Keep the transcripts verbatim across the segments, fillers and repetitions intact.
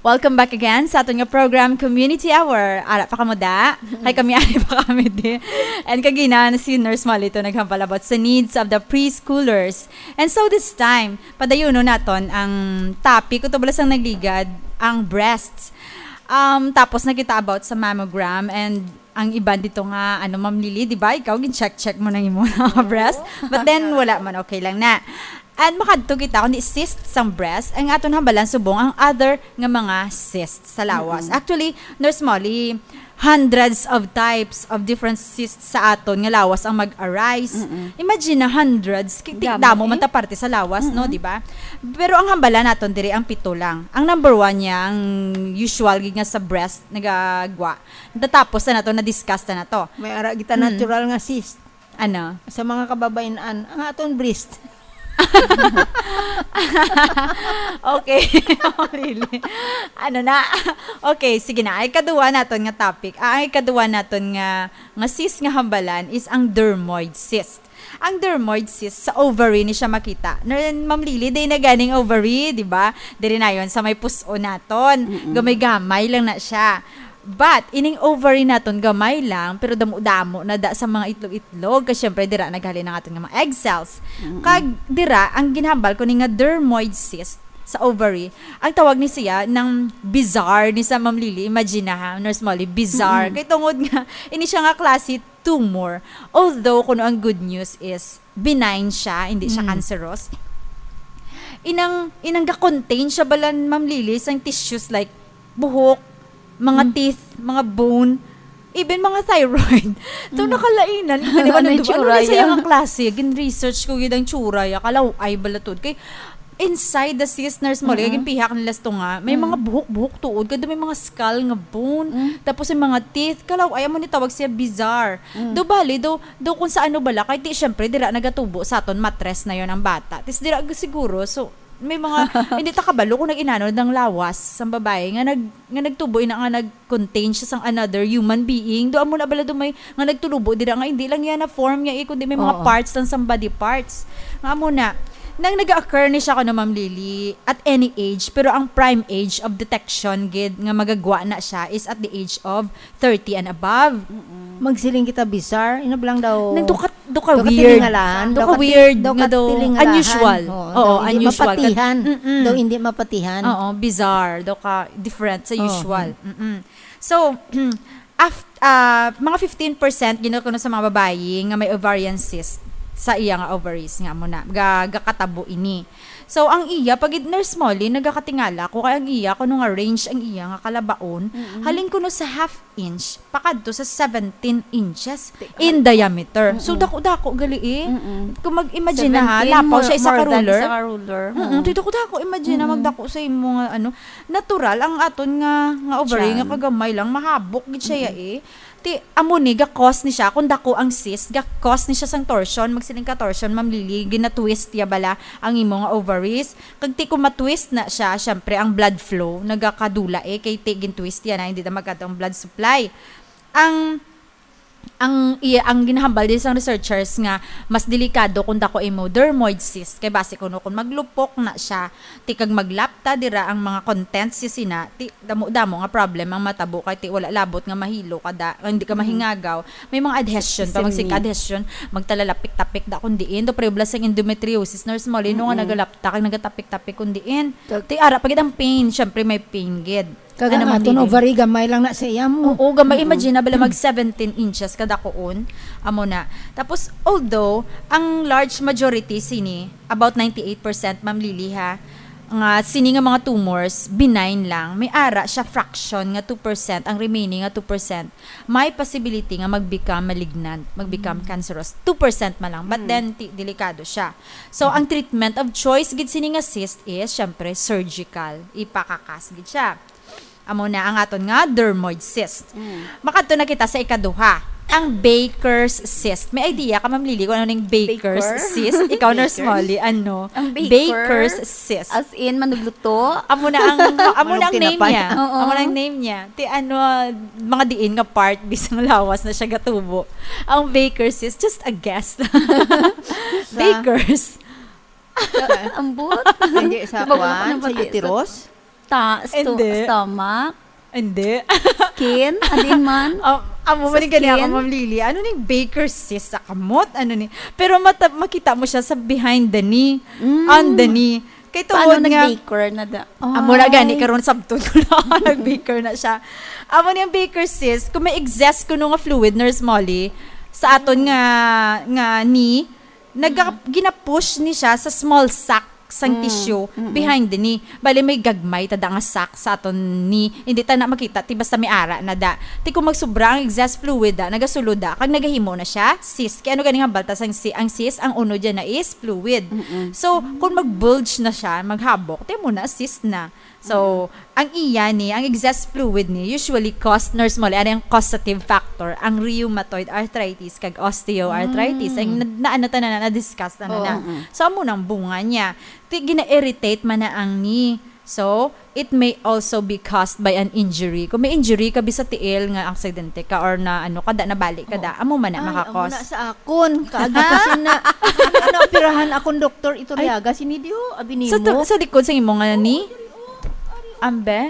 Welcome back again sa aton nga program, Community Hour. Ara pa kamo da? Kay kami, ari pa kami di. And kagina na si Nurse Molly to naghambal about sa needs of the preschoolers. And so this time, padayuno naton ang topic, kung bala sang nagligad, ang breasts. Um, tapos nakita about sa mammogram and ang iban dito nga, ano, Ma'am Lily, di ba? Ikaw, gin-check-check mo nang imo nga breast. But then, wala man, okay lang na. And makadto kita, kundi cyst sang breast, ang aton hambalan subong ang other nga mga cyst sa lawas. Mm-mm. Actually, Nurse Molly, hundreds of types of different cysts sa aton nga lawas ang mag-arise. Mm-mm. Imagine na hundreds, kay ti-, damo, damo man eh, ta parte sa lawas, no, mm-mm, di ba? Pero ang hambalan naton diri ang pito lang. Ang number one niya, ang usual gid nga sa breast nagagwa. Natapos na nato, na-discuss na nato. May ara kita, mm, natural nga cyst. Ano? Sa mga kababayan-an, ang aton breast. Okay. Oh, really? Ano na? Okay, sige na. Ay, kaduwa naton nga topic. Ah, ay, kaduwa naton nga, nga cyst nga hambalan is ang dermoid cyst. Ang dermoid cyst, sa ovary ni siya makita. Na, Ma'am Lily, day na ganing ovary, di ba? Diri na yon sa may pus-on naton. Mm-mm. Gamay-gamay lang na siya. But, ining ovary naton gamay lang, pero damo-damo na da sa mga itlog-itlog. Kay syempre, dira naghalin ang aton nga mga egg cells. Mm-mm. Kag dira, ang ginhambal ko ni nga dermoid cyst sa ovary, ang tawag ni siya ng bizarre ni sa Ma'am Lily. Imagine na ha, Nurse Molly, bizarre. Mm-mm. Kay tungod nga, ini siya nga klase tumor. Although, kuno ang good news is, benign siya, hindi siya, mm, cancerous. Inang, inang ga-contain siya bala, Ma'am Lily, sang tissues like buhok, mga, mm, teeth, mga bone, even mga thyroid. To, mm, nakalainan. Kani ba, ano, nandun, ano tsura, ni siya ya? Ang klase? Gin-research ko gid ang tsura, ya. Kalaw-ay bala to. Kay, inside the cyst, Nurse Molly, mm-mm, ginpihak nila sa tunga, may, mm, mga buhok-buhok tuod, kay may mga skull nga bone, mm, tapos yung mga teeth, kalaw-ay, amo ni tawag siya bizarre. Mm. Do bali, do, do kung sa ano bala, kay ti, syempre, dira nagatubo sa aton matres na yon ang bata. Tis dira ag-, siguro, so, may mga, hindi ta kabalo kung nag-inano ng lawas sang babae nga nag-, nga nagtubo ina nga nag-contain siya sang another human being. Do amo na bala do may, nga nagtulubo dira nga hindi lang yan na form niya eh, kundi may mga, oo, parts lang sang body parts. Nga amo na, nang nag-occur ni siya, kuno, Ma'am Lily, at any age, pero ang prime age of detection gid nga magagwa na siya is at the age of thirty and above. Mm-mm. Magsiling kita, bizarre. Ina ba lang daw? Nang duka, duka weird. Duka tilingalahan. Duka weird nga daw unusual. Oo, daw hindi mapatihan. Mm-mm. Daw hindi mapatihan. Oo, bizarre. Duka different sa usual. Mm-mm. So, af-, ah, mga fifteen percent gid kuno sa mga babayi nga may ovarian cyst sa iya nga ovaries nga amo na, ga-, gakatabo ini. So, ang iya, pag Nurse Molly, nagakatingala ko, kay ang iya, kuno nga range ang iya nga kalabaon, mm-mm, halin kuno sa half inch, pakadto sa seventeen inches in diameter. So, mm-mm, dako-dako gali eh. Mm-mm. Kung mag-imagine na ha, seventeen, lapaw siya isa ka ruler. More, more than isa ka ruler. Mm-mm. Oo. Ti dako-dako, imagine na, mm-mm, magdako sa imo nga, ano, natural ang aton nga, nga ovary, tiyan, nga kagamay lang, mahabok gid siya, mm-mm, ya eh. Ti, amo ni, ga-cause ni siya, kung dako ang cyst, ga-cause ni siya sang torsion, magsiling ka torsion, Ma'am Lily, gina-twist ya bala ang imo nga ovaries. Kag ti, kung ma-twist na siya, syempre, ang blood flow, nagakadula eh, kay ti, gin-twist ya na, hindi na magkadto ang blood supply. Ang, ang, iya, ang ginahambal din sang researchers nga, mas delikado kung dako imo dermoid cyst, kay basi kuno kung maglupok na siya, ti kag maglapta dira ang mga contents si sina, ti damo-damo nga problem ang matabo kay ti wala labot nga mahilo ka da, nga hindi ka, mm-hmm, mahingagaw. May mga adhesion pa, magsig-, adhesion, magtalalapik-tapik da kung diin. Do prebla sang endometriosis, Nurse Molly, no, nga, mm-mm, nagalapta kag nagatapik-tapik kung diin. Kag ti ara pa gid ang pain, syempre may pain gid. Kag ano, naman, Ma'am Lily? Ovary, gamay lang na sa iya mo. Oo, gamay. Mm-mm. Imagine na bala mag seventeen inches kadakuon. Amo na. Tapos, although, ang large majority sini, about ninety-eight percent, Ma'am Lily, ha, nga sini nga mga tumors, benign lang. May ara siya fraction nga two percent, ang remaining nga two percent, may possibility nga mag-become malignant, mag-become, mm, cancerous. Two percent man lang. But, mm, then, ti-, delikado siya. So, mm, ang treatment of choice gid sini nga cyst is, syempre, surgical. Ipakakas gid siya. Amo na ang aton nga dermoid cyst. Mm. Makadto na kita sa ikaduha, ang Baker's cyst. May idea ka, Ma'am Lily, kung ano ning Baker's cyst? Baker? Ikaw, Nurse Molly, ano? Ang Baker? Baker's cyst. As in, manugluto? Amo na ang, amo na ang name niya. Oo. Amo na ang name niya. Ti ano, mga diin nga part, bisang lawas na siya gatubo. Ang Baker's cyst, just a guess. Baker's. Ambot. Hindi sa kwan, sa uterus? Ta-, sto-, Hindi. Stomach? Hindi. Skin? Adin man? Ah, amo Sa man yung gani ako, skin? Ma'am Lily. Ano ning Baker's cyst sa kamot? Ano ni? Pero mata-, makita mo siya sa behind the knee. Mm. On the knee. Kay Paano tungod nga nag-baker na da? Amo na gani Ay. karon sabton ko na nag-baker na siya. Amo ni ang Baker's cyst, kung may excess kuno nga fluid, Nurse Molly, sa aton nga, nga knee, naga-, Mm. gina-push ni siya sa small sac sang Mm, tissue mm-mm. behind the knee. Bali, may gagmay ta da nga sac sa aton knee. Hindi ta na makita, ti basta may ara na da. Ti kung magsubra ang excess fluid da, nagasulod da, kag nagahimo na siya, cyst. Kaya ano ganing hambal ta sang si-, ang cyst, ang uno dyan na is fluid. Mm-mm. So, kung mag-bulge na siya, maghabok, ti mo na, cyst na. So, ang iya ni, ang excess fluid ni, usually caused, Nurse Molly, ano yung causative factor? Ang rheumatoid arthritis kag osteoarthritis. Mm. Ang na, na, ano ta na, na, na-discuss na, na, Oo. na. Mm-mm. So, amo nang bunga niya. Ti, gina-irritate man na ang knee. So, it may also be caused by an injury. Kung may injury ka, bisa tiil nga aksidente ka or na, ano ka da, nabali ka da, amo man na Ay, amo makakos. na sa akon. Kaagi ko sin na, ano, naoperahan akon, Doktor Iturriaga, sini diho, abi Sa nimo. tu-, sa likod sa imo nga ni? Oo, diri, oh. Ari, oh. Ambe?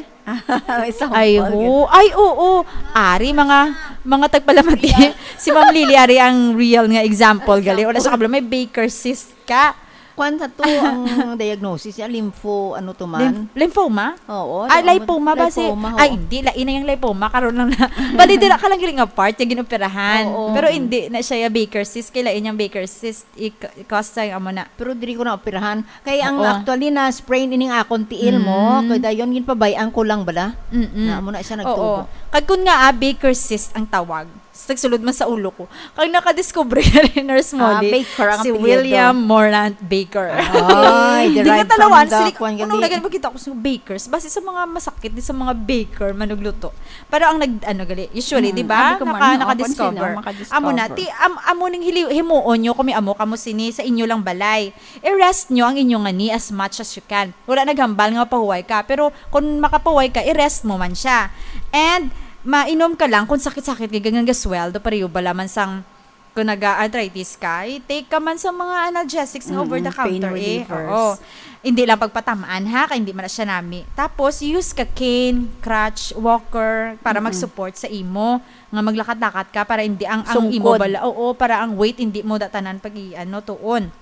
May sample Ay, yun. ho. Ay, oo. Ari, mga, mga tagpalamati. Si Ma'am Lily, ari ang real nga example, Example. gali. Wala siya kabalo. May Baker cyst ka. Kwan sa to ang diagnosis niya, lympho, ano to man? Lymph-, lymphoma? Oo, Ah, ano, lipoma ba si lipoma, ho. Ay, hindi. Lain na yung lipoma. Karon lang na. Bali, dira ka lang galing nga part yung ginoperahan. Oo. Pero hindi na siya yung Baker cyst. Kailan yung Baker cyst? I-, cause sa amo na. Pero diri ko na operahan. Kay ang Oo. actually na sprain ining akon tiil mo, Mm. kay dayon ginpabay-an ko lang bala. Mm-mm. Na amo na siya Oo. nagtubo. Kag kun nga, ah, Baker cyst ang tawag, s-, nagsulod man sa ulo ko. Kag nakadiscover na rin, Nurse Ah, Molly, Baker ang si apelyido. William Morant Baker. Ay, Di ka derived talawan, from the sili-, kwan kung gali. Nagano makita ko sa Bakers, basi sa mga masakit, di sa mga baker, manugluto. Pero ang nag-, ano gali, usually, Mm, di ba? abi ko man, Naka-, oo, nakadiscover. kung sino makadiscover. Amo na, ti-, am-, amo ning hili-, himuon nyo, kung may amo kamo sini, sa inyo lang balay. I-rest nyo ang inyong ani as much as you can. Wala naghambal nga mapahuway ka, pero kung makapahuway ka, i-rest mo man siya. And mainom ka lang kung sakit-sakit kay ganang gasweldo, pareho bala man sang kung naga-arthritis ka, i-take ka man sa mga analgesics nga Mm-mm, over the counter, pain eh. Relievers. Oo. Hindi lang pagpatamaan, ha, kay hindi man na siya nami. Tapos, use ka cane, crutch, walker, para Mm-mm. mag-support sa imo, nga maglakad-lakad ka, para hindi ang, ang imo Sungkod. bala, oo, para ang weight hindi mo datanan pag i-, ano, tuon.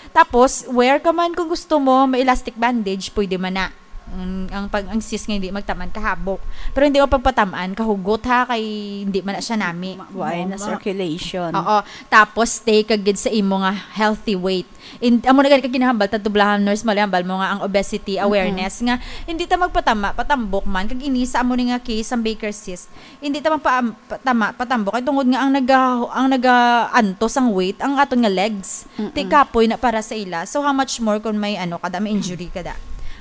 Tapos, wear ka man kung gusto mo, may elastic bandage, pwede man na. Mm, ang pag, ang cyst nga hindi magtaman kahabok. Pero hindi mo pagpatamaan, kahugot ha, kay hindi man na siya nami. Ma-, why na Ma-, circulation? Oo. Tapos, stay ka gid sa imo nga healthy weight. In, amo na gani ka ginahambal, tadto bala, Nurse Molly, hambal mo nga ang obesity Mm-mm. awareness nga hindi ta magpatama, patambok man, kag ini sa amo ni nga case, ang Baker cyst, hindi ta magpa-, patama, patambok. Kay tungod nga ang naga-, ang nagaantos ang weight, ang aton nga legs. Mm-mm. Ti kapoy na para sa ila. So, how much more kung may ano ka da, may injury ka da.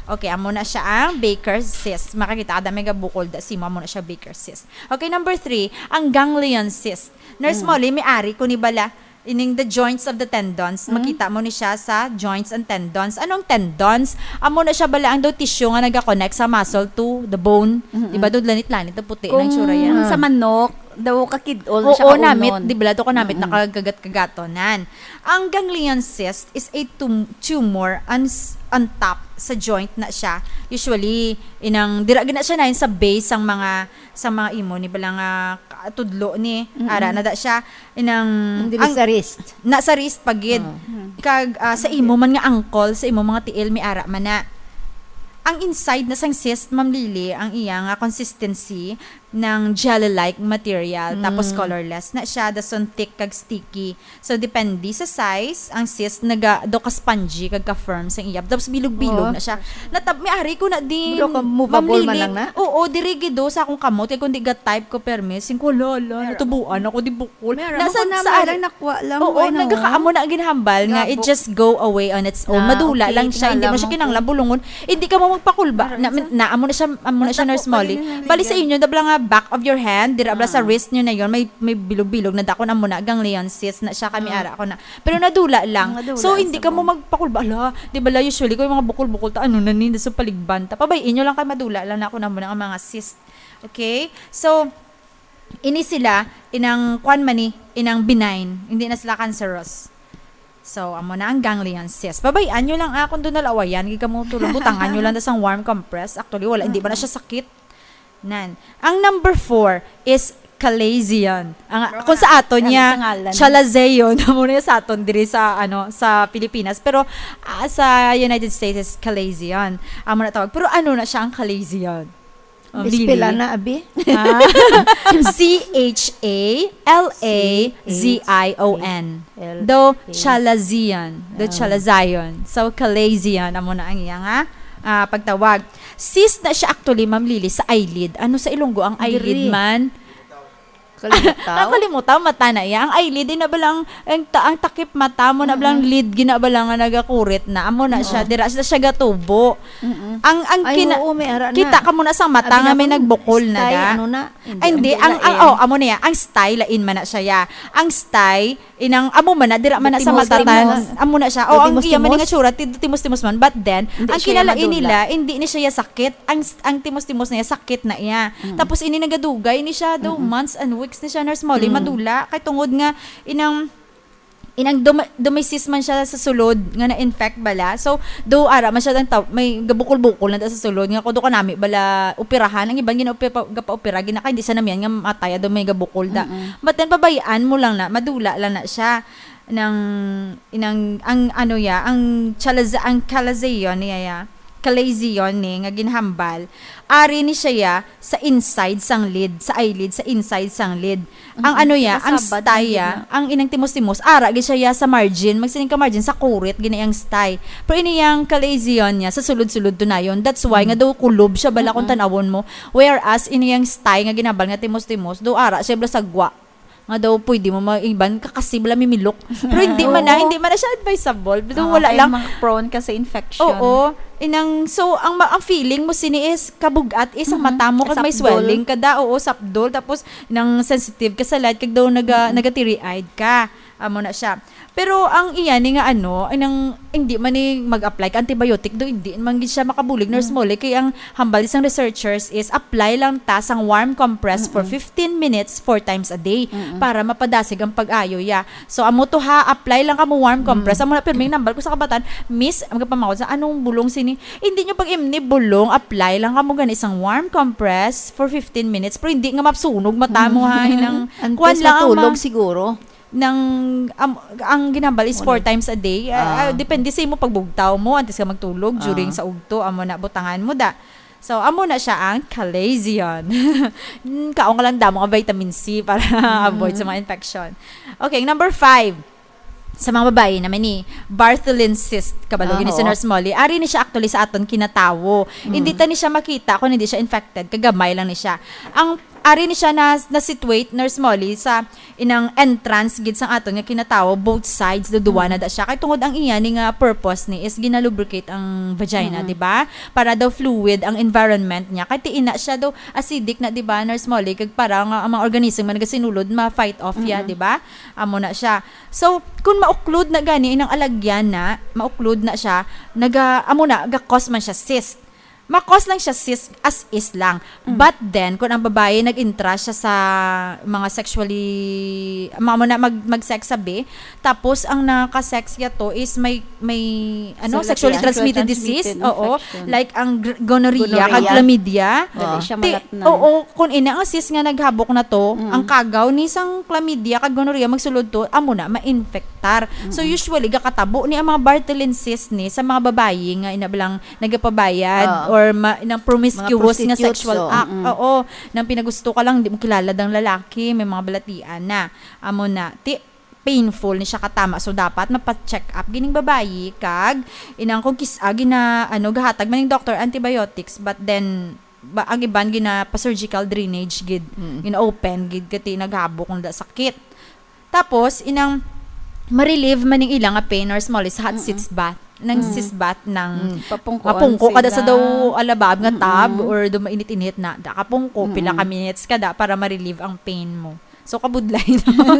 Okay, amo na siya ang Baker cyst. Makakita ka da, may gabukol da, simo, amo na siya Baker cyst. Okay, number three, ang ganglion cyst. Nurse Mm. Molly, may ari ko ni bala. Ining the joints of the tendons, Mm. makita mo ni siya sa joints and tendons. Anong tendons? Amo na siya bala ang daw tissue nga nag-connect sa muscle to the bone. Mm-mm. Di ba, daw lanit-lanit, daw puti Kung na itsura yan. sa manok, daw kakid-ol na siya Oo, namit, kaunon. di ba, daw kanamit, Mm-mm. nakagagat-kagatonan. Ang ganglion cyst is a tum-, tumor on s-, on top sa joint na siya. Usually, inang, dira gina siya na yun sa base sang mga, sa mga imo, ni bala nga ka-, tudlo ni, Mm-mm. ara na da siya. Inang, Yung dili ang sa wrist. na sa wrist pa gid. Oh. Hmm. Kag, ah, sa imo man nga ankle, sa imo mga tiil, may ara man na. Ang inside na sang cyst, Ma'am Lily, ang iya nga consistency ng jelly-like material, Mm. tapos colorless na siya, dason thick kag sticky. So, depende sa size, ang cyst naga, daw ka spongy kag ka firm sang iya. Tapos bilog-bilog Oo. na siya. Natab-, may ari ko na din, Pero ka movable Ma'am man Lily. lang na? Oo, diri gid do sa akong kamot, kay kung di ga type ko permi, sing ko, "Hala, hala, Meron. natubuan ako, di bukol." Meron. Nasa, Bukol na, sa meron, ari-, nakuha lang, Oo, why na, nagkakaamo oh? na ang ginhambal nga, it Gabo. just go away on its own. Ah, Madula okay, lang siya, hindi mo tingala siya mo. kinahanglan bulungon. Hindi ka mo magpakulba. Meron Na, sa na, amo na siya, amo na siya, Basta Nurse po, Molly. pwede na yung Bali sa legal. inyo, dabla nga back of your hand, dira bala sa Ah. wrist nyo na yun, may, may bilog-bilog na dakon, amo na, ganglion cyst na siya, kami Ah. ara ko na. Pero nadula lang. Nadula So, hindi sa ka mo mo. magpakulba. Ala, di bala usually, kung yung mga bukol-bukol, ta, ano na ni, sa paligban, ta, pabay-in nyo lang kay madula lang na ako na mo na ang mga cyst. Okay? So, ini sila, inang kwan man ni, inang benign. Hindi na sila cancerous. So, amo na ang ganglion cyst. Pabay-an nyo lang, ah, kung doon nalawayan, gid kamo tulog, butangan nyo lang na sang warm compress. Actually, wala, hindi ba na siya sakit? Nan. Ang number four is chalazion. Ang, kung sa aton niya, chalazeon. Amo na sa aton diri sa, ano, sa Pilipinas. Pero, ah, sa United States is chalazion. Amo na tawag. Pero ano na siya ang chalazion? Oh, Ispela Lily. Na, abi. Ah. C H A L A Z I O N. L A. Do, chalazion. Do, chalazion. So, chalazion. Amo na ang iya nga, ah, pagtawag. Cyst na siya actually, Ma'am Lily, sa eyelid. Ano sa Ilonggo ang eyelid man? Kalimutaw? Ang kalimutaw, mata na iya. Ang eyelid, di na ba lang, ang, ta- ang takip mata mo na ba lang lid, gina ba lang nga nagakurit na. Amo na siya, dira siya, siya gatubo. Ang, ang Ay, kina- oo, may ara na. Kita ka mo na sa mata nga may nagbukol na stay, da. Ano na? Ay, hindi. Ang, ang, oh, amo na ya. Ang stay, lain man na siya ya. Ang stay, inang, amo man na, dira man na sa mata, amo na siya. Oh, ang iya man nga tsura, ti- timos-timos man. But then, ang kinalain nila, hindi ni siya ya sakit. Ang, ang timos-timos na ya, sakit na iya. Tapos, ini nagadugay ni siya, daw, months and weeks ni siya, Nurse Molly, madula. Kay tungod nga, inang, inang dum- dumisis man siya sa sulod nga na-infect bala. So, do ara man siya ang taw- may gabukol-bukol na sa sulod nga kudo kanami bala operahan, ang iban gina-opera, gapa-opera, gina kay hindi sa namian nga matay do may gabukol da. But then, pabayaan mo lang na, madula lang na siya ng inang, ang ano ya, ang chalaza-, ang chalazion niya ya, chalazion ni nga ginhambal. Ari ni siya ya sa inside sang lid, sa eyelid, sa inside sang lid. Ang ano ya, ang stay ya, ang inang timos-timos, ara gid siya ya sa margin, magsining ka margin, sa kurit, gina yang stay. Pero ini yang chalazion niya, sa sulod-sulod tunayon. That's why nga daw kulob siya bala kung tanawon mo. Whereas, ini yang stay nga ginhambal nga timos-timos, daw ara siya bala sa gwa. Nga daw pwede mo mag-iban, kakasib lang mimilok. Pero hindi man na, hindi man na siya advisable. Pero wala lang. Mga prone ka sa infection. Oo. Inang, so, ang, ma- ang feeling mo sini is kabug-at is ang mata mo kag may swelling kada, oo, sapdol. Tapos, nang sensitive ka sa light, kag daw naga, naga-teary-eyed ka. Amo na siya. Pero ang iya ni nga ano, ay nang hindi man ni mag-apply ka antibiotic do, hindi man gid siya makabulig, Nurse Molly, kay ang hambal sang researchers is apply lang ta sang warm compress for fifteen minutes four times a day para mapadasig ang pag-ayo ya. So, amo to ha, apply lang kamo warm compress. Amo na pirming nambal ko sa kabatan, Miss, ang kapamawad sa anong bulong sini? Hindi nyo pag imni bulong, apply lang kamo gani sang warm compress for fifteen minutes, pero hindi nga mapsunog mata mo ha, hinang kuwan lang ang ma- siguro. Nang, am-, ang ginambal is four times a day. Ah, ah, depende sa imo pagbugtaw mo, antes ka magtulog, during sa ugto, amo na, butangan mo da. So, amo na siya ang chalazion. Mm, kaon ka lang damo nga vitamin C para avoid sa mga infection. Okay, number five. Sa mga babayi naman ni Bartholin cyst, kabalo gini si Nurse Molly. Ari ni siya actually sa aton kinatawo. Hindi ta ni siya makita kung hindi siya infected, kagamay lang ni siya. Ang ari ni siya na, na situate, Nurse Molly, sa inang entrance gid sang aton nga kinatawo, both sides, duduwa na da siya. Kay tungod ang iya ni nga purpose ni is ginalubricate ang vagina, di ba? Para daw fluid ang environment niya. Kay ti ina siya daw acidic na, di ba, Nurse Molly? Kag para nga ang mga organism nga nagasinulod, ma-fight off ya, di ba? Amo na siya. So, kung mauklod na gani inang alagyan na, mauklod na siya, naga, amo na, ga-cause man siya cyst. Ma-cause lang siya cyst as is lang. But then, kung ang babae nag-intra siya sa mga sexually, amo na, mag, mag-sex sabi, tapos ang naka-sex niya to is may, may, ano, sexually transmitted disease, oo, like ang gr- gonorrhea, kag chlamydia. Dali siya malatnan. Oo, kung ina ang cyst nga naghabok na to, ang kagaw ni sang chlamydia kag gonorrhea magsulod to, amo na, ma-infectar. So, usually, gakatabo ni ang mga Bartholin cyst ni sa mga babayi nga ina lang nagapabayad or ma- nang promiscuous nga sexual act. Oo, nang pinagusto ka lang, di mo kilala dang lalaki, may mga balatian na. Amo na, ti painful ni siya katama. So, dapat mapa-check up gining babayi kag inang kung kis-, ah, gina, ano, gahatag man ning doctor antibiotics, but then, ba, ang iban gina pa-surgical drainage gid, gina-open gid, kati naghabok nga sakit. Tapos, inang ma-relieve man ning ila nga pain or small is hot sitz bath. Nang sitz bath nang mapungko kada sa daw alabab nga tub or daw mainit-init na. Da kapungko, pila ka minutes ka da para ma-relieve ang pain mo. So, kabudlay, no?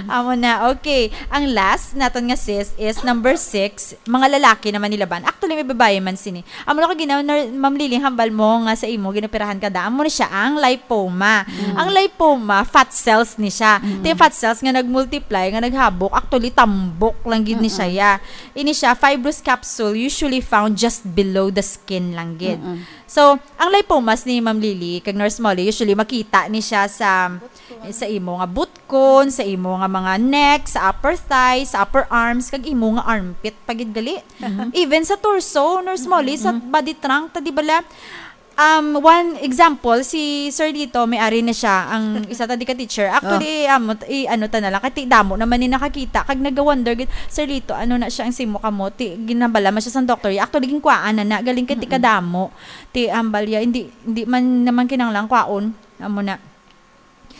Amo na. Okay. Ang last naton nga cyst is number six. Mga lalaki naman ni laban. Actually, may babayi man sini. Amo na ko ginaw, ner-, Ma'am Lily, hambal mo nga sa imo, ginoperahan ka da. Amo na siya, ang lipoma. Mm. Ang lipoma, fat cells ni siya. Mm. Ti fat cells nga nagmultiply, nga naghabok, actually, tambok lang gid ni siya, Mm-mm. ya. Ini siya, fibrous capsule, usually found just below the skin lang gid. Mm-mm. So, ang lipomas ni Ma'am Lily, kag Nurse Molly, usually, makita ni siya sa, sa imo nga butkon, sa imo nga mga neck, sa upper thighs, sa upper arms, kag imo nga armpit, pa gid gali. Mhm. Even sa torso, Nurse Molly, sa Mm-mm. body trunk, ta di bala, um, one example, si Sir Lito, may ari na siya, ang isa ta di ka teacher. Actually, Oh. amo, i-, ano ta na lang, kay ti damo naman ni nakakita, kag nag-wonder gid, "Sir Lito, ano na siya ang simo kamo?" Ti, ginabala man siya sang doktor. Actually, ginkwaan na na, galing kay ti Mm-mm. kadamo. Ti, ambal ya, hindi, hindi man naman kinahanglan kwaon. Amo na.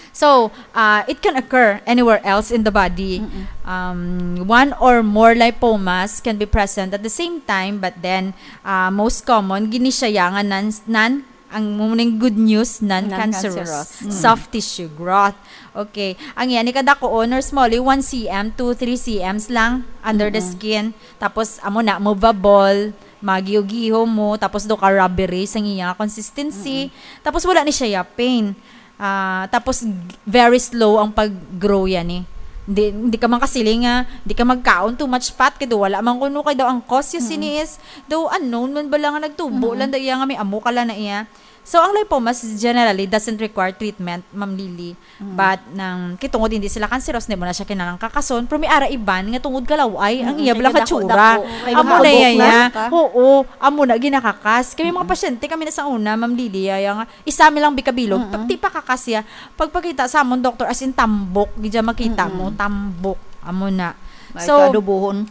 So, uh, it can occur anywhere else in the body. Mm-mm. Um, one or more lipomas can be present at the same time, but then, uh, most common, gini siya ya nga non, non, ang muning good news, non-cancerous. Non-cancerous. Mm. Soft tissue growth. Okay. Ang yan, ikadako, Nurse Molly, one C M to three C Ms lang under the Mm-mm. skin. Tapos, amo na, movable, magiyo-giho mo, tapos do ka rubbery sa iya consistency. Mm-mm. Tapos, wala ni siya ya pain. Ah, tapos, g-, very slow ang pag-grow yan eh. Hindi, hindi ka man kasiling nga, hindi ka magkaon too much fat, kay do wala man kuno kay daw ang cause ya Mm-mm. sini is, daw unknown man bala nga nagtubo Mm-mm. lang, daw iya nga may amo ka lang na iya. So, ang lipomas generally doesn't require treatment, Ma'am Lily. Mm. But nang, kay tungod hindi sila cancerous, hindi mo na siya kinahanglan kakason. Pero may ara iban nga tungod kalaw-ay, ang Mm, iya kay bala kadako-dako. Katsura. Kay Amo na makabok iya na. ya. Oo, amo na ginakakas. Kami mga Mm. pasyente, kami na sa una, Ma'am Lily, ya, ya nga, isa mi lang bikabilog, Mm-mm. pag ti pakakas ya, pagpakita sa amon doktor, as in, tambok, gid ya makita mo, Mm-mm. tambok. Amo na. May So, kaadobohon.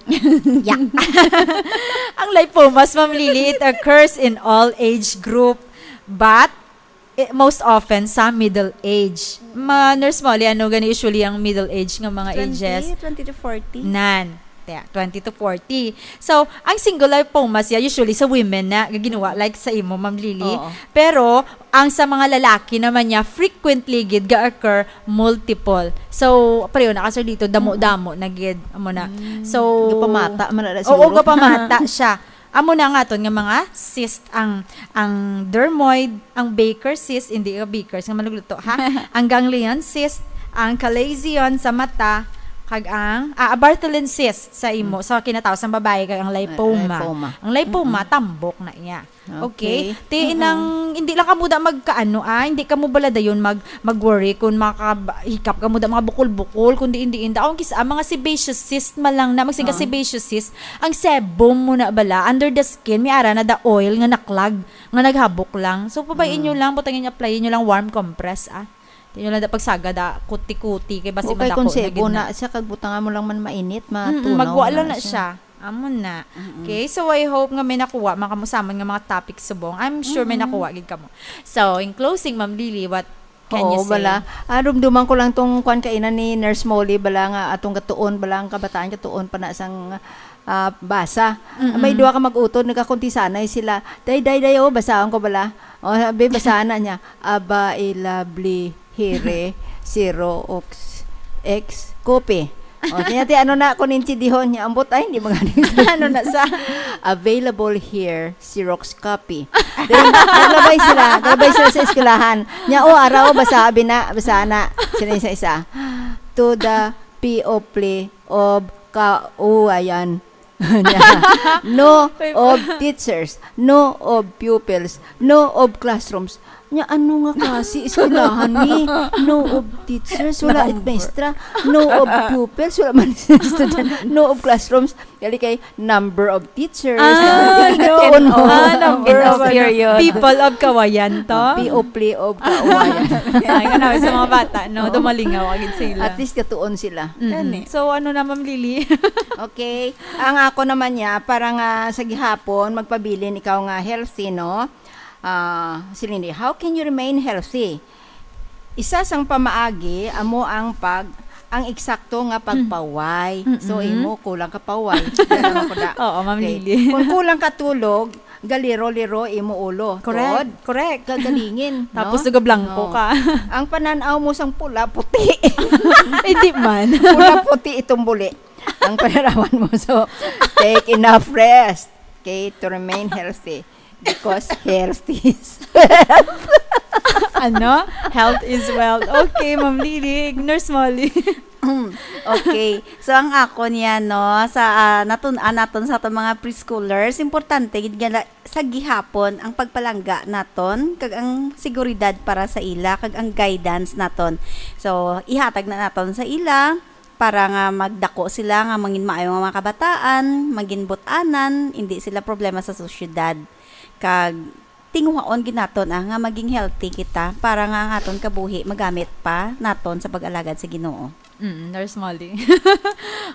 Yeah. Ang lipomas, Ma'am Lily, it occurs in all age group, but eh, most often sa middle age. Ma, Nurse Molly, ano gani usually ang middle age nga mga Twenty, ages? twenty to forty. Nan. Te, twenty to forty. So, ang single lipomas ya usually sa women na nga ginawa, like sa imo, Ma'am Lily. Oo. Pero, ang sa mga lalaki naman niya, frequently gid ga-occur multiple. So, pareho na ka, Sir Lito, damo-damo na gid. Amo na. Mm. So, Gapamata man na Oo, siguro. gapamata siya. Amo na nga aton nga mga cyst, ang, ang dermoid, ang Baker cyst, hindi ka Baker's nga manugluto, ha? Ang ganglion cyst, ang chalazion sa mata, kag ang, ah, Bartholin cyst sa imo, Mm. sa kinatawo sang babayi, kag ang lipoma. Lipoma. Ang lipoma, Mm-mm. tambok na iya. Okay. Okay. Ti, Mm-mm. inang, hindi lang kamo da magkaano, ah, hindi kamo bala dayon mag-, mag-worry kung makahikap kamo da mga bukol-bukol, kung diin-diin da. Ang kis-, ang mga sebaceous cyst man lang na, magsiga Ah. sebaceous cyst, ang sebum mo na bala, under the skin, may ara na da oil nga naklag, nga naghabok lang. So, pabay-in Mm. nyo lang, butangin nyo, apply nyo lang warm compress, ah. Di nyo lang da pagsaga da, kuti-kuti, kay basi Okay, madako kung na gid sebo na. na siya, kag butangan mo lang man mainit, Mm-mm, matunaw magwa na lang na siya. siya. Amo na. Mm-mm. Okay, so I hope nga may nakuha man kamo sa amon nga mga topic subong. I'm sure may Mm-mm. nakuha gid kamo. So, in closing, Ma'am Lily, what can Oo, you say? bala. Ah, dumduman ko lang tong kwan kaina ni Nurse Molly, bala nga atong katuon, bala ang kabataan katuon pa na sang, ah, basa. Mm-mm. May duha ka mag-utod, nagakuntisanay sila. Day, day, day, oh, basaon ko bala. Oh, sabi, basahan na niya. Aba, i lovely. Here, zero, ox, X, copy. O, kaya ti, ano na, kung intindihon niya, ambot ay, hindi magani. Ano na sa? Available here, Xerox copy. Then, naglabay sila, naglabay sila sa eskwelahan. Nya, o, araw, basa, abi na, basa na. Sila isa-isa. To the P O P L E of Kauwayan. No Wait. of teachers, no of pupils, no of classrooms. Nya, ano nga klase eskwelahan ni? No of teachers, wala it Number. maestra. No of pupils, wala man student. No of classrooms. Gali kay number of teachers. Ah, Number of no. Tuon mo. Ah, number End of of ano, period. people of Kawayan to. Oh, P O P L E of Kawayan. Ay, nga naman sa mga bata, no? Oo. Dumalingaw, agad sila. At least katuon sila. Mm-mm. Gani. So, ano na, Ma'am Lily? Okay. Ang ako naman niya, para nga sa gihapon, magpabilin ikaw nga healthy, no? Ah, si Lindy, how can you remain healthy? Isa sang pamaagi amo ang pag, ang eksakto nga pagpaway. Mm-mm. So, imo, kulang ka paway. Yan ang ako na. Oo, Ma'am Okay. Lily. Kung kulang ka tulog, Galiro-liro imo ulo. Correct, Tuod, correct. Kagalingin, no? Tapos nagablangko No. ka. Ang pananaw mo sang pula, puti. Hindi man. Pula, puti itong buli. Ang pananawan mo, so, take enough rest. Okay, to remain healthy. Because health is Ano? Health is wealth. Okay, Ma'am Lily. Nurse Molly. Okay. So, ang ako niya, no, sa ah, natun-an naton sa atong mga preschoolers, importante gid nga la- sa gihapon ang pagpalangga naton kag ang seguridad para sa ila kag ang guidance naton. So, ihatag na naton sa ila para nga magdako sila nga mangin maayo nga mga kabataan, magin but-anan, hindi sila problema sa sosyedad. Kag tinguhaon gid naton ah, nga maging healthy kita para nga ang aton kabuhi magamit pa naton sa pag-alagad sa Ginoo. Mm, Nurse Molly.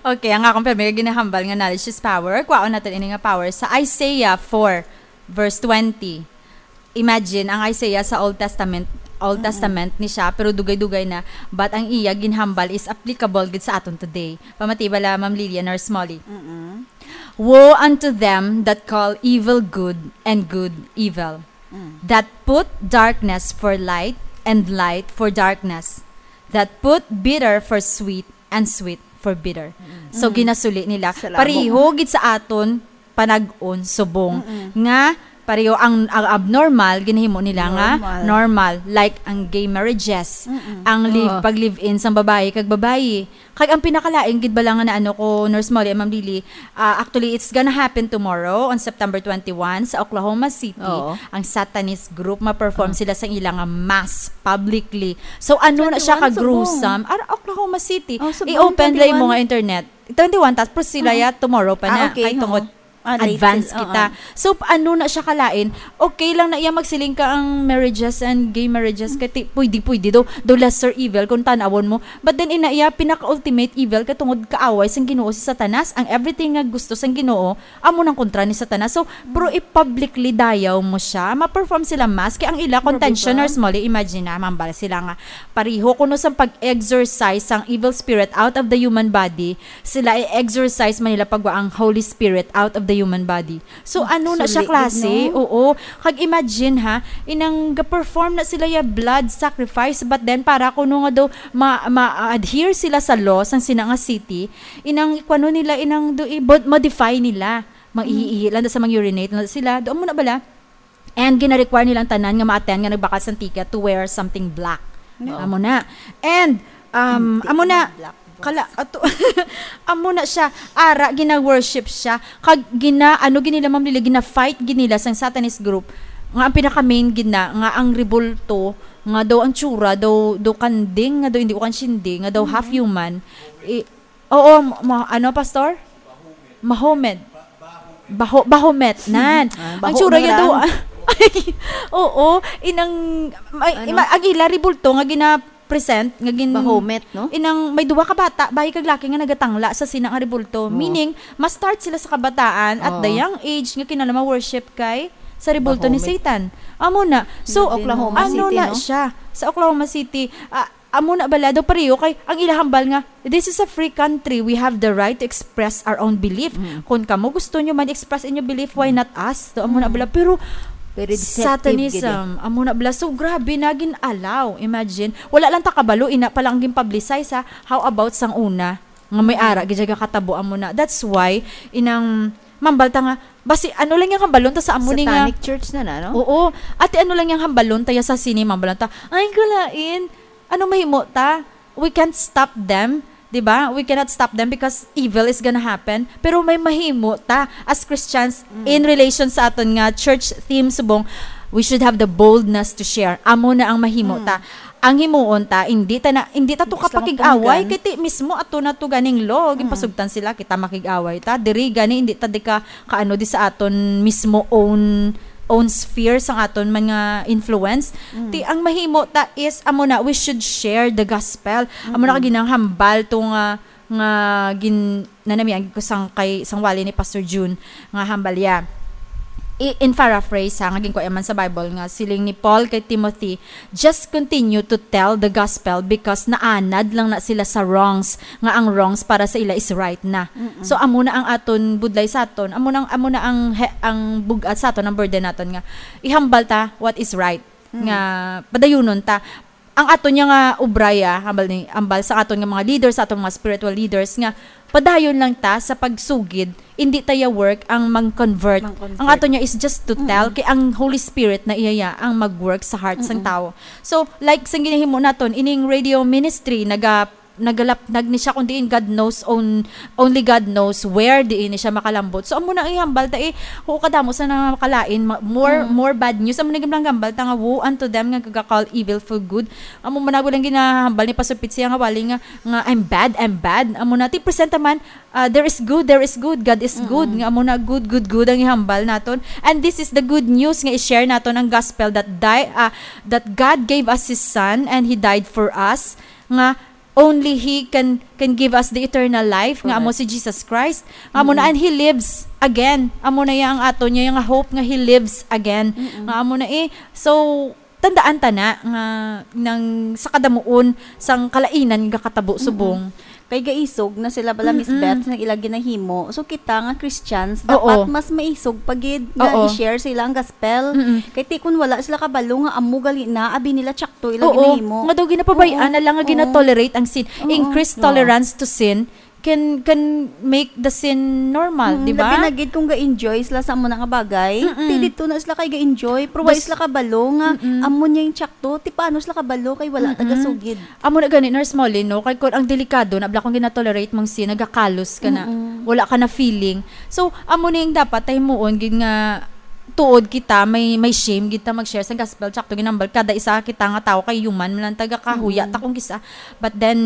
Okay, ang akong pirmi nga ginahambal nga knowledge is power. Kuhaon natin ini nga power sa Isaiah four, verse twenty. Imagine, ang Isaiah sa Old Testament, Old Testament ni siya, pero dugay-dugay na, but ang iya ginhambal is applicable gid sa aton today. Pamati bala, Ma'am Lilian, Nurse Molly. Mm-mm. Woe unto them that call evil good and good evil, that put darkness for light and light for darkness, that put bitter for sweet and sweet for bitter. So, ginasuli nila. Sa lamo. Pareho gid sa aton panag-on subong nga pareho ang, ang abnormal ginahimo nila nga Normal. Normal, like ang gay marriages, ang live Oo. pag live-in sang babayi kag babayi. Kag ang pinakalain gid bala nga naano ko, Nurse Molly and Ma'am Lily, ah, actually, it's gonna happen tomorrow on September twenty-one sa Oklahoma City. Oo. Ang Satanist group, ma-perform sila sa ila nga mass publicly. So, ano na siya Twenty-one ka gruesome? Ar Oklahoma City. Oh, subong, I-open lang mo twenty-one. nga internet. Twenty-one, tapos sila ya tomorrow pa Ah, na. okay, Kay oo. tungod Ah, late advance sila, kita. Oo. So, ano na siya kalain? Okay lang na iya magsiling ka ang marriages and gay marriages, kay ti- pwede-pwede daw, daw lesser evil kung tanawon mo. But then, ina iya, pinaka-ultimate evil, katungod kaaway sang Ginoo si Satanas. Ang everything nga gusto sang Ginoo, amo nang kontra ni Satanas. So, pero i-publicly dayaw mo siya, ma-perform sila mass, kay ang ila contention, ba? Nurse Molly, imagine na, mambal sila nga, pariho kuno sa pag-exorcise sang evil spirit out of the human body, sila i-exorcise man nila pagwa ang Holy Spirit out of the human body. So, ano na siya Sulit, klase? no? Oo. Kag imagine ha, inang ga-perform na sila ya blood sacrifice, but then para kuno nga daw ma- ma-adhere sila sa law sang sina nga city, inang kuno nila, inang do i-, mod- modify nila. Mag-ihi-ihi lang sa, mag-urinate lang sila. Do mo na bala? And gina-require nilang tanan nga ma-attend nga nagbakal sang ticket to wear something black. No. Amo na. And um Hindi amo na naman black, boss. Kala ato amo na siya, ara gina-worship siya, kag gina ano gid nila, Ma'am Lily, gina-fight gid nila sang Satanist group nga ang pinaka-main gid na nga ang rebulto nga daw ang tsura daw daw kanding nga daw hindi ko kansindi nga daw half human. I- oo, ma- ano, Pastor? Mahomet. Baho, Bahomet, nan. Ah, Ang baho tsura na niya lang. daw. Ay, oo, inang may, Ano? ima, ang ila rebulto nga gina-present nga gin Bahomet, no? Inang may duha ka bata, bayi kag laki nga nagatangla sa sina nga rebulto. Oo. Meaning, ma-start sila sa kabataan at Oo. the young age nga kinala ma-worship kay sa rebulto ni Bahomet. Satan. Amo na. So, Oklahoma ano City, na no? siya? Sa Oklahoma City, ah, amo na bala daw pareho kay ang ila hambal nga, "This is a free country. We have the right to express our own belief." Mm. Kung kamo gusto nyo man express inyo belief, why not us? So, amo na bala. Pero, Very deceptive, Satanism, amo na bala. So, grabe na gin-allow. Imagine, wala lang ta kabalo, ina pa lang ang gin-publicize, ha. How about sang una? Nga may ara, gid siya katabo, amo na. That's why, inang, mambal ta nga, basi, ano lang yung hambalon ta sa amo ni nga. Satanic church na na, no? Oo. Ate, ano lang yung hambalon ta ya sa sini, mambalon ta, "Ay, galain. Ano mahimo ta? We can't stop them." Di ba? We cannot stop them because evil is gonna happen. Pero may mahimo ta as Christians in relation sa aton nga church theme subong, we should have the boldness to share. Amo na ang mahimo ta. Ang himuon ta, hindi ta na, hindi ta to Islam kapakig-away, panggan. Kay ti mismo ato na to ganing law, ginpasugtan sila, kita makig-away ta. Diri gani, hindi ta di ka kaano di sa aton mismo own own sphere sang aton mga influence. Ti ang mahimo ta is amo na, we should share the gospel. Amo na ka ginahambal to nga nga gin nanamian ko sang kay sang wali ni Pastor June nga hambal ya. I-, in paraphrase, ha, nga ginkuha man sa Bible, nga siling ni Paul kay Timothy, "Just continue to tell the gospel, because naanad lang na sila sa wrongs, nga ang wrongs para sa ila is right na." Mm-mm. So, amo na ang aton budlay sa aton, amo na, amo na ang he-, ang bug-at sa aton, ang burden naton, nga ihambal ta what is right, Mm. nga padayunon ta. Ang aton niya nga obra, ya, hambal ni, hambal sa aton nga mga leaders, sa aton mga spiritual leaders, nga padayon lang ta sa pagsugid, hindi ta ya work ang mang-convert. Mang-convert. Ang aton niya is just to tell, Mm-mm. kay ang Holy Spirit na iya ya ang mag-work sa heart sang Mm-mm. tawo. So, like sang ginahimo naton, ining radio ministry, naga-, nagalapnag ni siya kung diin God knows own-, only God knows where diin ni siya makalambot. So, amo na ihambal ta, eh, huo kadamo sa namakalain, ma-, more, Mm. more bad news. Amo na ginhambal ta nga, "Woe unto them nga gaga-call evil for good." Amo man ako lang ginahambal ni Pastor Pete siya nga wali nga, nga, "I'm bad, I'm bad." Amo na, ti presenta man, ah, "There is good, there is good, God is good." Mm-mm. Nga amo na, good, good, good ang ihambal naton. And this is the good news nga i-share naton ang gospel that die, ah, that God gave us His Son and He died for us. Nga only He can, can give us the eternal life, nga amo Correct. si Jesus Christ. Nga amo na, Mm-mm. and He lives again. Amo na ya ang aton niya, nga hope nga He lives again. Mm-mm. Nga amo na, eh. So, tandaan ta na nga nang sa kadamuon sang kalainan nga gatabo Mm-mm. subong. Kay gaisog na sila bala, Miss Mm-mm. Beth, sa ila ginahimo. So, kita nga Christians, Oo. dapat mas maisog pa gid nga Oo. i-share sa ila ang gospel. Mm-mm. Kay ti kun wala sila kabalo nga amo gali na, abi nila tsakto ila Oo, ginahimo. nga daw ginapabay-an Oo. na lang nga Oo. gina-tolerate ang sin. Oo. In Christ, No. tolerance to sin can, can make the sin normal, Mm, di ba? labi na gid kung ga-enjoy sila sa amo na nga bagay. Mm-mm. Ti didto na sila kay ga-enjoy, pero wala Bas-, sila kabalo nga mm-mm. amo niya yung tsakto, ti paano sila kabalo kay wala Mm-mm. tagasugid. Amo na gani, Nurse Molly, no? Kay kun ang delikado, na bala kung ginatolerate mong sin, nagakalos ka na. Mm-mm. Wala ka na feeling. So, amo na yung dapat ta himuon gid nga tuod kita, may, may shame gid ta mag-share sa gospel. Tsakto ginambal, kada isa kita nga tawo kay human, man lang taga kahuya Mm-mm. ta kung kisa. But then,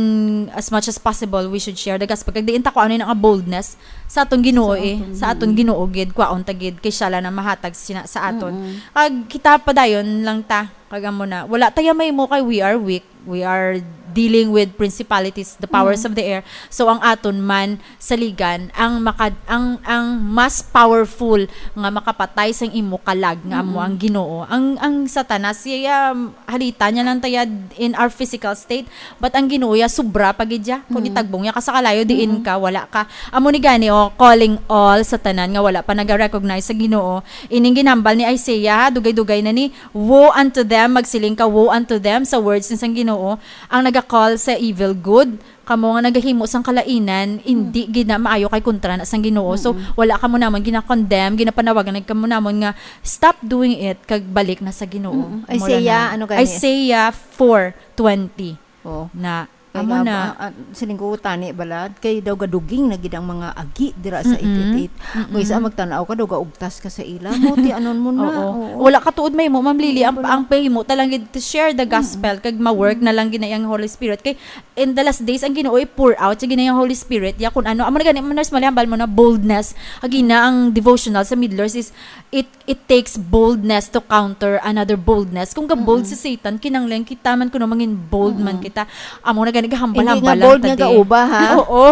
as much as possible, we should share the gospel. Kag diin ta ko ano yung nga boldness sa aton Ginoo Sa eh. aton Sa aton Ginoo. Ginoo gid, kwaon ta gid, kay siya lang na mahatag sina-, sa aton. Mm-mm. Kag kita padayon lang ta, kag amo na. Wala tayo may mo kay we are weak. We are dealing with principalities, the powers Mm. of the air. So, ang aton man, saligan, ang maka-, ang, ang mas powerful nga makapatay sang imo kalag nga amo Mm. ang Ginoo. Ang, ang Satanas, siya, halita niya lang taya in our physical state, but ang Ginoo ya, sobra pa gid ya. Kung Mm. itagbong ya ka sa kalayo, diin Mm. ka, wala ka. Amo ni gani, oh, calling all sa tanan nga wala pa naga-recognize sa Ginoo. Ining ginambal ni Isaiah, ha, dugay-dugay na ni, "Woe unto them," magsiling ka, "Woe unto them," sa words ni sang Ginoo, ang naga-call sa evil good, kamo nga nagahimo sang kalainan, hindi Mm. gid na maayo kay kontra na sang Ginoo. So, Mm-mm. wala kamo namon gina-condemn, ginapanawagan na kamo namon nga stop doing it, kag balik na sa Ginoo. Mm-mm. Amo Isaiah, lang na. ano gani? Isaiah four twenty. Oh. Na, Kay amo nga, na. ah, ah, siling ko, tani bala, kay daw gaduging na gid ang mga agi dira sa Mm-mm. eight eight eight. Mm-mm. Kung isa magtanaw ka, daw gaugtas ka sa ila. Mo, ti anon mo na. Oo. Oo. Wala ka tuod may mo, Ma'am Lily, Oo, ang, wala. ang pahimo talang gid to share the Mm. gospel, kag ma-work Mm. na lang gid na yung Holy Spirit. Kay in the last days, ang Ginoo i-pour out sa gid na yung Holy Spirit. Ya, kung ano, amo na gani, Nurse Molly, hambal mo na boldness. Agi na ang devotional sa Middle East is, it, it takes boldness to counter another boldness. Kung ga-bold Mm-mm. si Satan, kinanglan kita man kuno mangin bold man Mm-mm. kita. Amo na gani, gahambal-hambal Hindi nga lang bold ta nga di. kauba, ha? Oo.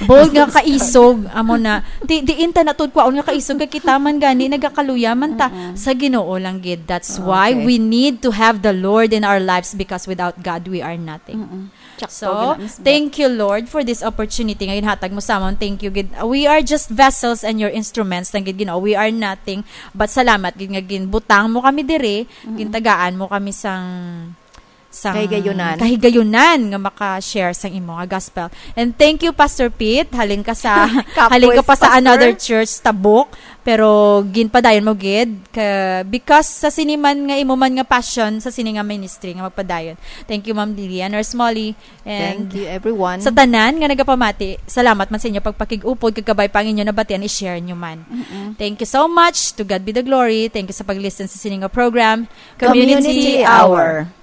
Bold nga kaisog. Amo na. Di, diin ta na tuod kwaon nga kaisog, kay kita man gani, nagakaluya man ta Mm-mm. sa Ginoo lang gid. That's why Okay. we need to have the Lord in our lives, because without God, we are nothing. Mm-mm. Tsakto So, gina, Miss Beth. thank you, Lord, for this opportunity nga ginhatag mo sa amon. Thank you gid. We are just vessels and your instruments lang gid, Ginoo. We are nothing. But salamat gid nga ginbutang mo kami diri, Mm-mm. gintagaan mo kami sang, sang Kahigayunan. kahigayunan nga maka-share sang imo nga gospel. And thank you, Pastor Pete. Halin ka sa, Kapos, halin ka pa sa Pastor. another church, Tabuk. Pero ginpadayon mo gid ka, because sa sini man nga imo man nga passion, sa sini nga ministry nga magpadayon. Thank you, Ma'am Lily and Nurse Molly. And Thank you, everyone. sa tanan nga nagapamati, salamat man sa inyo pagpakig-upod, kag kabay pa ang inyo nabatian, i-share nyo man. Mm-mm. Thank you so much. To God be the glory. Thank you sa pag-listen sa sini nga program, Community Community Hour. Hour.